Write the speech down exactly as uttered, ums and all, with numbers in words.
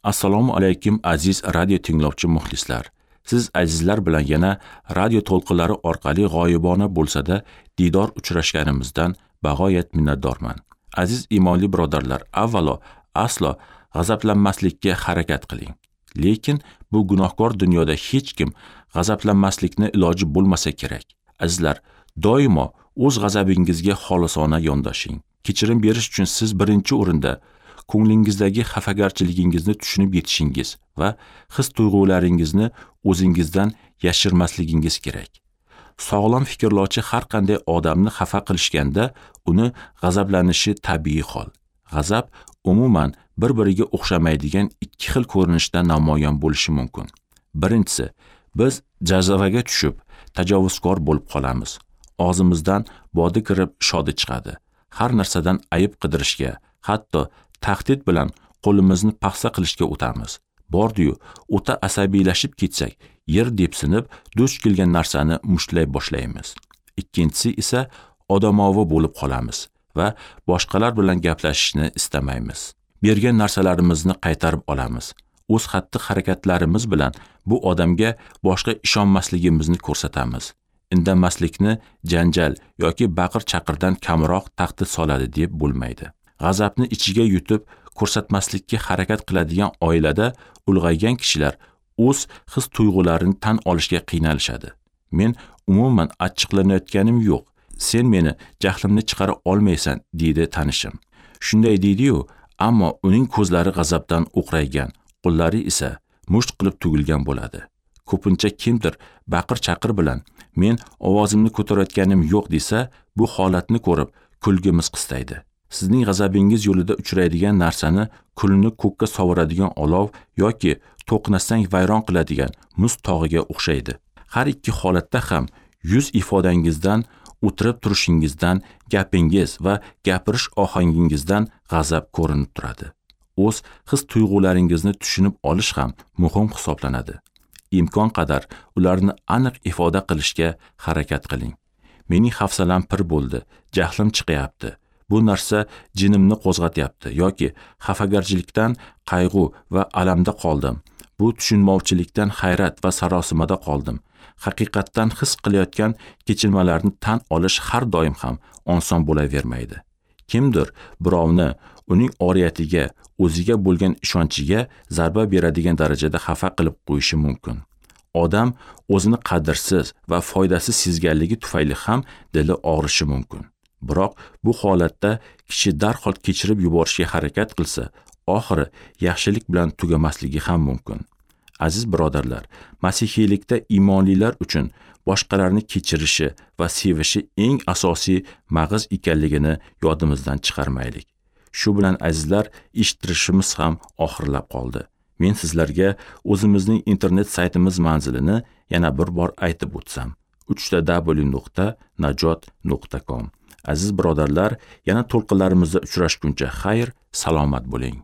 Assalomu alaykum aziz radio tinglovchi muxlislar. Siz azizlar bilan yana radio to'lqinlari orqali g'oyibona bo'lsa-da diydor uchrashganimizdan bag'oyat minnatdorman. Aziz iymonli birodarlar, avvalo aslo g'azablanmaslikka harakat qiling. Lekin bu gunohkor dunyoda hech kim g'azablanmaslikni iloji bo'lmasa kerak. Azizlar, doimo o'z g'azabingizga xolisona yondoshing. Kechirim berish uchun siz birinchi o'rinda ko'nglingizdagi xafagarchiligingizni tushunib yetishingiz va his-tuyg'ularingizni o'zingizdan yashirmasligingiz kerak. Sog'lom fikrlovchi har qanday odamni xafa qilishganda uni g'azablanishi tabiiy hol. G'azab umuman bir-biriga o'xshamaydigan ikki xil ko'rinishda namoyon bo'lishi mumkin. Birinchisi, biz jazavaga tushib, tajovuzkor bo'lib qolamiz. Og'zimizdan bodi kirib, shodi chiqadi. Har narsadan ayib qidirishga, hatto tahdid bilan qo'limizni paxsa qilishga o'tamiz. Bordi-yu, o'ta asabiylashib ketsak, yer depsinib, duch kelgan narsani mushtlay boshlaymiz. Ikkinchisi esa odamovi bo'lib qolamiz va boshqalar bilan gaplashishni istamaymiz. Bergan narsalarimizni qaytarib olamiz. O'z xatti-harakatlarimiz bilan bu odamga boshqa ishonmasligimizni ko'rsatamiz. Indamaslikni janjal yoki baqir-chaqirdan kamroq tahdid soladi deb bo'lmaydi. G'azabni ichiga yutib, ko'rsatmaslikka harakat qiladigan oilada ulg'aygan kishilar o'z his-tuyg'ularini tan olishga qiynalishadi. Men umuman achchiqlanayotganim yo'q. Sen meni jahlimni chiqara olmaysan, deydi tanishim. Shunday deydi-yu, ammo uning ko'zlari g'azabdan o'qraygan, qo'llari esa musht qilib tugilgan bo'ladi. Ko'pincha kimdir baqir-chaqir bilan men ovozimni ko'tarayotganim yo'q desa, bu holatni ko'rib kulgimiz qistaydi. Sizning g'azabingiz yo'lida uchraydigan narsani kulni ko'kka sovuradigan olov yoki to'qnasang vayron qiladigan muz tog'iga o'xshaydi. Har ikki holatda ham yuz ifodangizdan, o'tirib turishingizdan, gapingiz va gapirish ohangingizdan g'azab ko'rinib turadi. O'z his-tuyg'ularingizni tushunib olish ham muhim hisoblanadi. Imkon qadar ularni aniq ifoda qilishga harakat qiling. Mening hafsalam pir bo'ldi, jahlim chiqyapti. Bu narsa jinimni qo'zg'atyapti yoki xafagarchilikdan qayg'u va alamda qoldim. Bu tushunmovchilikdan hayrat va sarosimada qoldim. Haqiqatdan his qilayotgan kechinmalarni tan olish har doim ham oson bo'lavermaydi. Kimdir birovni uning oriyatiga, o'ziga bo'lgan ishonchiga zarba beradigan darajada xafa qilib qo'yishi mumkin. Odam o'zini qadrsiz va foydasiz sezganligi tufayli ham dili og'rishi mumkin. Biroq bu holatda kishi darhol kechirib yuborishga harakat qilsa, oxiri yaxshilik bilan tugamasligi ham mumkin. Aziz birodarlar, masihiylikda iymonlilar uchun boshqalarni kechirishi va sevishi eng asosiy mag'iz ekanligini yodimizdan chiqarmaylik. Shu bilan azizlar, eshittirishimiz ham oxirlab qoldi. Men sizlarga o'zimizning internet saytimiz manzilini yana bir bor aytib o'tsam: uch ta w nuqta najot nuqta com. Aziz birodarlar, yana to'lqinlarimizda uchrashguncha xayr, salomat bo'ling.